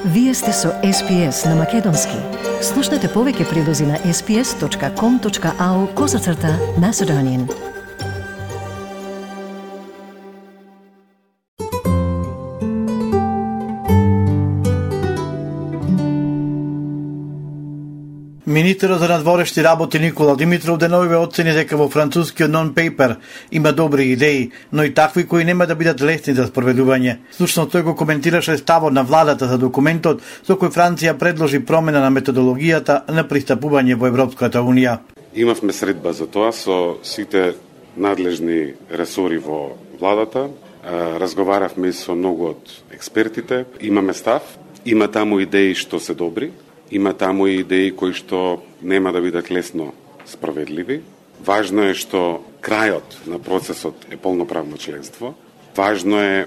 Вие сте со SPS на Македонски. Слушнете повеќе прилози на sps.com.au/Macedonian. Министерот за надворешни работи Никола Димитров деновиве оцени дека во францускиот non-paper има добри идеи, но и такви кои нема да бидат лесни за спроведување. Слушно тој го коментираше ставот на владата за документот со кој Франција предложи промена на методологијата на пристапување во Европската Унија. Имавме средба за тоа со сите надлежни ресори во владата. Разговаравме со многу од експертите, имаме став, има таму идеи што се добри. Има таму и идеи кои што нема да бидат лесно справедливи. Важно е што крајот на процесот е полноправно членство. Важно е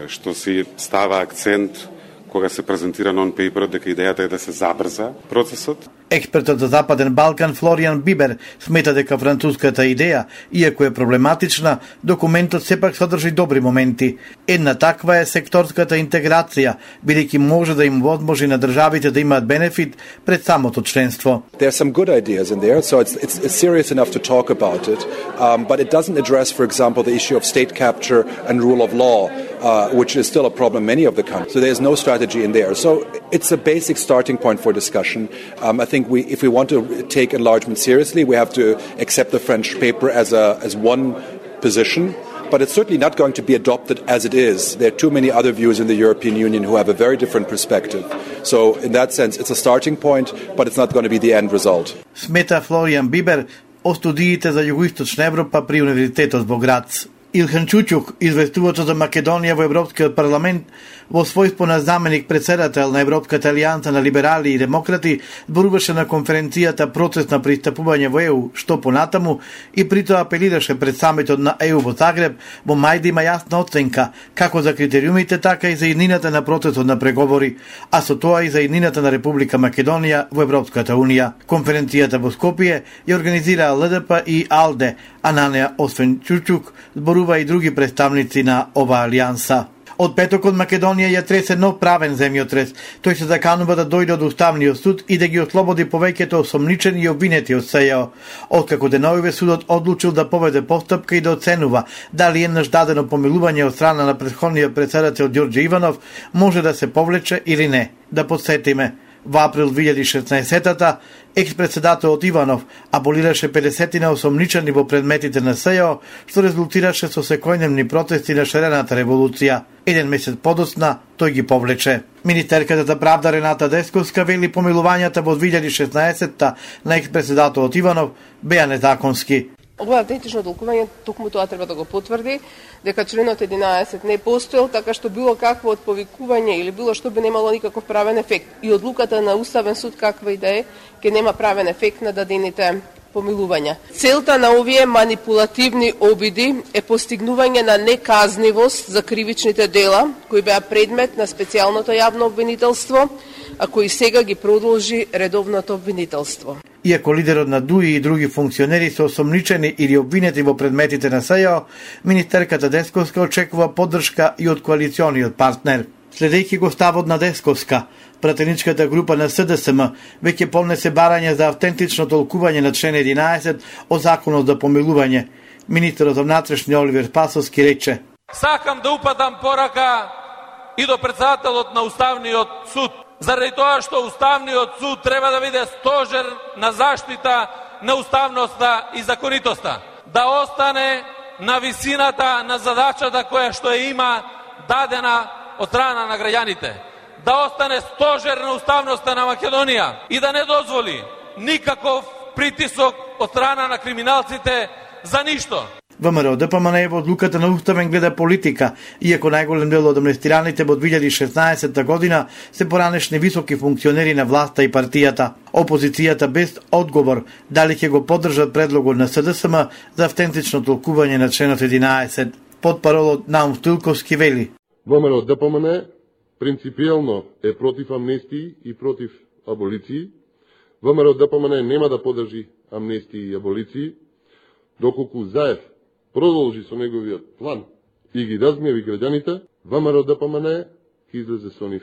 што се става акцент кога се презентира non-paper дека идејата е да се забрза процесот. Експертот за Западен Балкан Флориан Бибер смета дека француската идеја, иако е проблематична, документот сепак содржи добри моменти. Една таква е секторската интеграција, бидејќи може да им возможи на државите да имаат бенефит пред самото членство. There are some good ideas in there, so it's serious enough to talk about it, but it doesn't address, for example, the issue of state capture and rule of law, which is still a problem in many of the countries. So there's no strategy in there. So it's a basic starting point for discussion. I think if we want to take enlargement seriously, we have to accept the French paper as one position, but it's certainly not going to be adopted as it is. There are too many other views in the European Union who have a very different perspective. So in that sense, it's a starting point, but it's not going to be the end result. Смета Флориан Бибер о студиите за Југоисточна Европа при Универзитетот во Грац. Илхан Чучук, известувач за Македонија во Европскиот парламент, во својство на заменик председател на Европската алијанса на либерали и демократи, зборуваше на конференцијата процес на пристапување во ЕУ, што понатаму, и притоа апелираше пред самитот на ЕУ во Загреб во мај да има јасна оценка, како за критериумите, така и за иднината на процесот на преговори, а со тоа и за иднината на Република Македонија во Европската Унија. Конференцијата во Скопје ја организираа ЛДП и АЛДЕ, а на неа освен Чучук зборува и други представници на оваа алијанса. Од петокот Македонија ја тресе нов правен земјотрес. Тој се заканува да дојде од Уставниот суд и да ги ослободи повеќето осомничени и обвинети од СЈО. Откако деновиве судот одлучил да поведе постапка и да оценува дали еднаш дадено помилување од страна на претходниот председател Ѓорѓе Иванов може да се повлече или не. Да подсетиме, во април 2016-та, екс-председателот Иванов аболираше 50 осомничени во предметите на СЈО, што резултираше со секојдневни протести на шарената револуција. Еден месец подоцна тој ги повлече. Министерката за правда Рената Десковска вели помилувањата во 2016-та на екс-председателот Иванов беа незаконски. Ова автентично толкување токму тоа треба да го потврди, дека членот 11 не постоел, така што било какво од повикување или било што би немало никаков правен ефект. И одлуката на Уставен суд каква и да е, ќе нема правен ефект на дадените помилувања. Целта на овие манипулативни обиди е постигнување на неказнивост за кривичните дела, кои беа предмет на специјалното јавно обвинителство, а кои сега ги продолжи редовното обвинителство. Иако лидерот на ДУИ и други функционери се осомничени или обвинети во предметите на СЈО, министерката Десковска очекува поддршка и од коалициониот партнер. Следејќи го ставот на Десковска, пратеничката група на СДСМ веќе поднесе барање за автентично толкување на член 11 од законот за помилување. Министерот за внатрешни Оливер Спасовски рече: Сакам да упатам порака и до председателот на Уставниот суд, заради тоа што Уставниот суд треба да биде стожер на заштита на уставноста и законитоста, да остане на висината на задачата која што ја има дадена од страна на граѓаните, да остане стожер на уставноста на Македонија и да не дозволи никаков притисок од страна на криминалците за ништо. ВМРО ДПМН во одлуката на Уставен гледа политика, иако најголем дел од амнестираните во 2016 година се поранешни високи функционери на власта и партијата. Опозицијата без одговор дали ќе го поддржат предлогот на СДСМ за автентично толкување на членот 11. Потпаролот Наум Стилковски вели: ВМРО ДПМН принципијално е против амнестии и против аболиции. ВМРО ДПМН нема да поддржи амнестии и аболиции, доколку Заев продолжи со неговиот план и ги разгневи граѓаните, ВМРО ДПМН ќе излезе со нив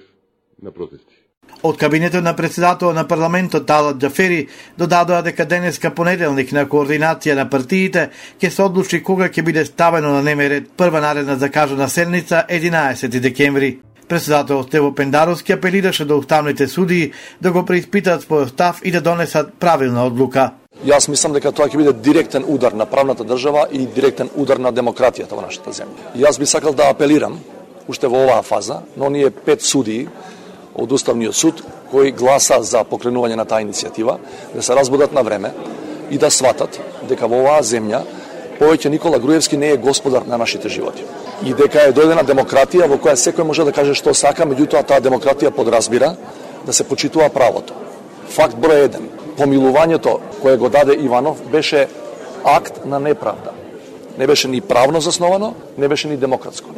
на протести. Од кабинетот на председател на парламентот Талат Џафери додадоа дека денеска понеделник на координација на партиите ќе се одлучи кога ќе биде ставено на дневен ред прва наредна закажана седница 11 декември. Председател Стево Пендаровски апелираше до уставните судии да го преиспитаат својот став и да донесат правилна одлука. Јас мислам дека тоа ќе биде директен удар на правната држава и директен удар на демократијата во нашата земја. Јас би сакал да апелирам уште во оваа фаза на оние 5 судии од Уставниот суд кои гласа за покренување на таа иницијатива, да се разбудат на време и да сватат дека во оваа земја повеќе Никола Груевски не е господар на нашите животи. И дека е дојдена демократија во која секој може да каже што сака, меѓутоа таа демократија подразбира да се почитува правото. Факт број 1. Помилувањето кое го даде Иванов беше акт на неправда. Не беше ни правно засновано, не беше ни демократско.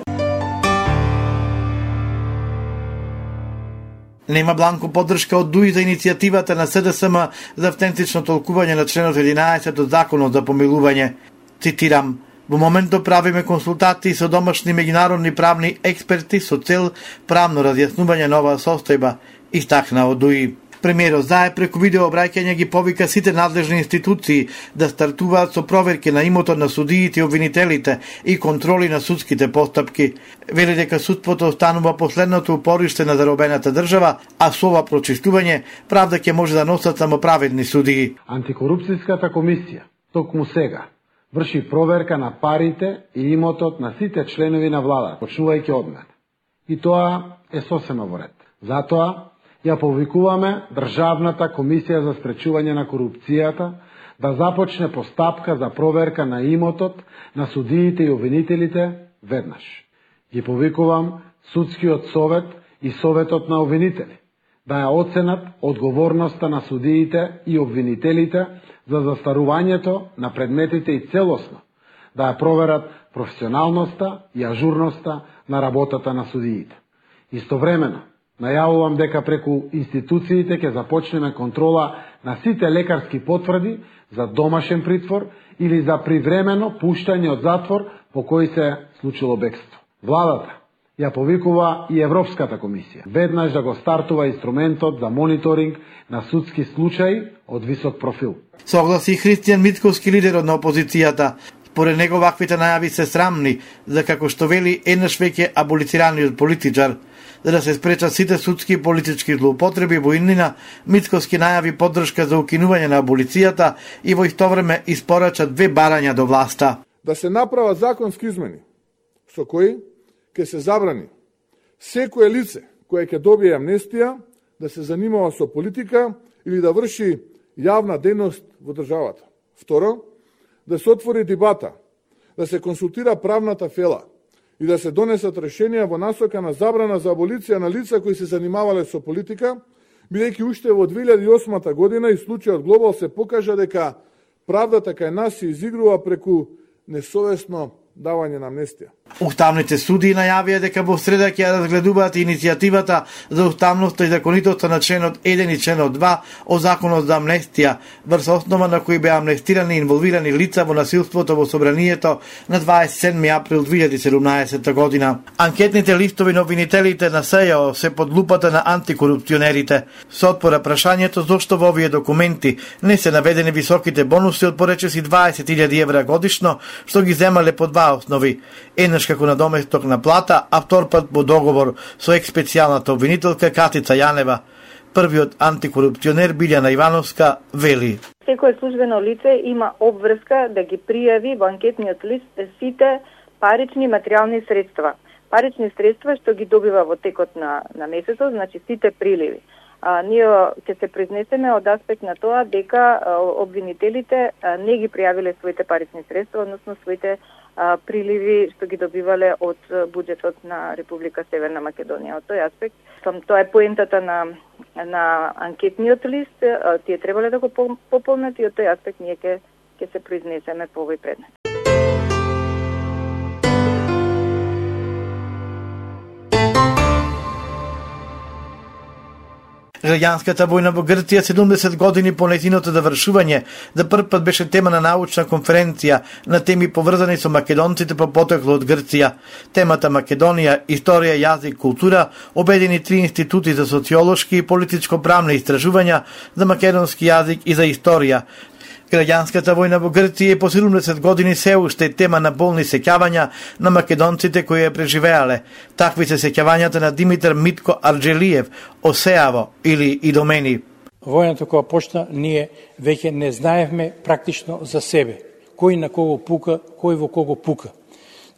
Нема бланко поддршка од ДУИ за иницијативата на СДСМ за автентично толкување на членот 11 од Законот за помилување. Цитирам: "Во моментот правиме консултации со домашни меѓународни правни експерти со цел правно разјаснување на оваа состојба", истакна од ДУИ. Премиерот Заев преку видео обраќање ги повика сите надлежни институции да стартуваат со проверки на имотот на судиите и обвинителите и контроли на судските постапки. Вели дека судството останува последното упориште на заробената држава, а со ова прочистување правда ќе може да носат само праведни судии. Антикорупцијската комисија токму сега врши проверка на парите и имотот на сите членови на владата, почнувајќи од мене. И тоа е сосема во ред. Затоа ја повикуваме Државната комисија за спречување на корупцијата да започне постапка за проверка на имотот на судиите и обвинителите веднаш. Ги повикувам Судскиот совет и Советот на обвинители да ја оценат одговорноста на судиите и обвинителите за застарувањето на предметите и целосно да ја проверат професионалноста и ажурноста на работата на судиите. Истовремено, најавувам дека преку институциите ќе започнеме контрола на сите лекарски потврди за домашен притвор или за привремено пуштање од затвор по кој се случило бегство. Владата ја повикува и Европската комисија веднаш да го стартува инструментот за мониторинг на судски случаи од висок профил. Согласи Христијан Мицковски, лидерот на опозицијата. Според него ваквите најави се срамни, за како што вели еднаш веќе аболицираниот политичар. За да се спречат сите судски и политички злоупотреби во иднина, Мицковски најави поддршка за укинување на аболицијата и во исто време испорача 2 барања до власта. Да се направат законски измени, со кои ќе се забрани секое лице кое ќе добие амнестија да се занимава со политика или да врши јавна дејност во државата. Второ, да се отвори дебата, да се консултира правната фела и да се донесат решенија во насока на забрана за аболиција на лица кои се занимавале со политика, бидејќи уште во 2008 година и случајот Глобал се покажа дека правдата кај нас се изигрува преку несовесно давање на амнестија. Уставните судии најавија дека во среда ќе ја разгледуваат иницијативата за уставноста и законитоста на членот 1 и членот 2 од Законот за амнестија, врз основа на кои беа амнестирани и инволвирани лица во насилството во собранието на 27 април 2017 година. Анкетните листови на обвинителите на СЈО се под лупата на антикорупционерите. Се отпора прашањето зошто во овие документи не се наведени високите бонуси од поречиси 20.000 евра годишно, што ги земале по 2 основи. Еднаш како надоместок на плата, а втор пат по договор со експецијалната обвинителка Катица Јанева. Првиот антикорупционер Билјана Ивановска вели: секое службено лице има обврска да ги пријави во анкетниот лист сите парични материјални средства. Парични средства што ги добива во текот на месецот, значи сите приливи. Ние ќе се произнесеме од аспект на тоа дека обвинителите не ги пријавиле своите парични средства, односно своите приливи што ги добивале од буџетот на Република Северна Македонија. Од тој аспект, тоа е поентата на анкетниот лист, тие требале да го пополнат и од тој аспект ние ќе се произнесеме по овој предмет. Граѓанската војна во Грција 70 години по нејзиното завршување за прв пат беше тема на научна конференција на теми поврзани со македонците по потекло од Грција. Темата Македонија, историја, јазик, култура обедини 3 институти за социолошки и политичко-правни истражувања за македонски јазик и за историја. Граѓанската војна во Грција по 70 години се уште е тема на болни сеќавања на македонците кои ја преживеале. Такви се сеќавањата на Димитар Митко Арџелиев, Осеаво или Идомени. Војната кога почна, ние веќе не знаевме практично за себе. Кој на кого пука, кој во кого пука.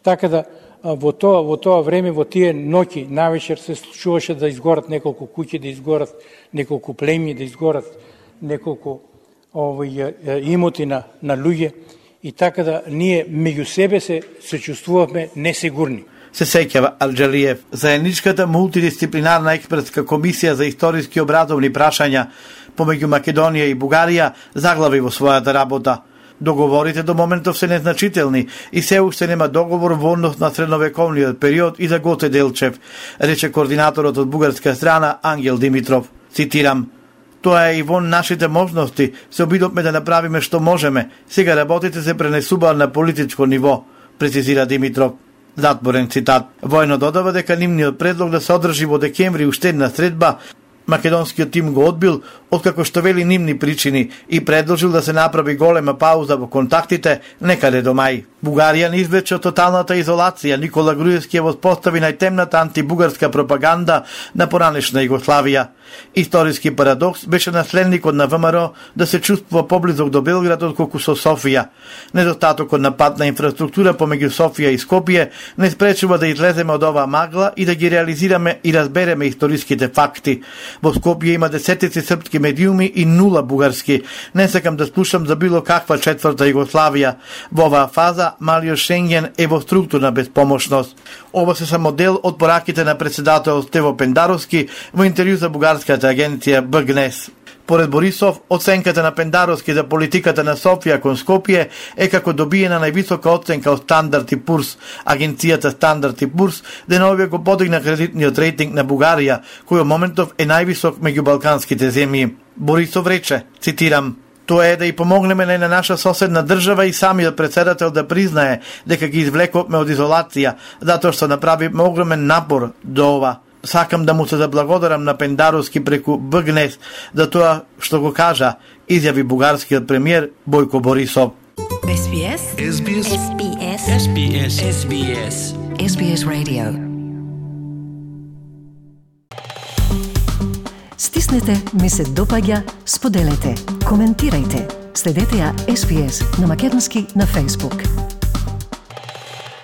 Така да во тоа време, во тие ноќи, навечер се случуваше да изгорат неколку куќи, да изгорат неколку племји, да изгорат неколку имоти на луѓе, и така да ние меѓу себе се чувствувавме несигурни. Се сеќава Арџелиев. Заедничката мултидисциплинарна експертска комисија за историски образовни прашања помеѓу Македонија и Бугарија заглави во својата работа. Договорите до моментов се незначителни и се уште нема договор во однос на средновековниот период и за Гоце Делчев, рече координаторот од бугарска страна Ангел Димитров. Цитирам: "Тоа е и во нашите можности, се обидовме да направиме што можеме. Сега работите се пренесуваат на политичко ниво", прецизира Димитров. Затворен цитат. Војно додава дека нивниот предлог да се одржи во декември уште една средба македонскиот тим го одбил, откако што вели нивни причини, и предложил да се направи голема пауза во контактите некаде до мај. Бугарија не извлече од тоталната изолација. Никола Груевски ја воспостави најтемната антибугарска пропаганда на поранешна Југославија. Историски парадокс беше наследникот на ВМРО да се чувствува поблизок до Белград отколку со Софија. Недостатокот на патна инфраструктура помеѓу Софија и Скопје не спречува да излеземе од оваа магла и да ги реализираме и разбереме историските факти. Во Скопје има десетици српски медиуми и 0 бугарски. Не сакам да слушам за било каква четврта Југославија. Во оваа фаза малиот Шенген е во структурна безпомошност. Ова се само дел од пораките на председател Стево Пендаровски во интервју за бугарската агенција БГНЕС. Поред Борисов, оценката на Пендаровски за политиката на Софија кон Скопје е како добиена највисока оценка од Стандард и Пурс. Агенцијата Стандард и Пурс деновиве го подигна кредитниот рейтинг на Бугарија, кој во моментов е највисок меѓу балканските земји. Борисов рече, цитирам: "Тоа е да и помогнеме на наша соседна држава и самиот председател да признае дека ги извлековме од изолација, затоа што направивме огромен напор до ова. Сакам да му се заблагодарам на Пендаровски преку БГНЕС за тоа што го кажа", изјави бугарскиот премиер Бојко Борисов. SBS SBS SBS SBS SBS SBS Radio. Стиснете, ми се допаѓа, споделете, коментирајте. Следете ја SBS на македонски на Facebook.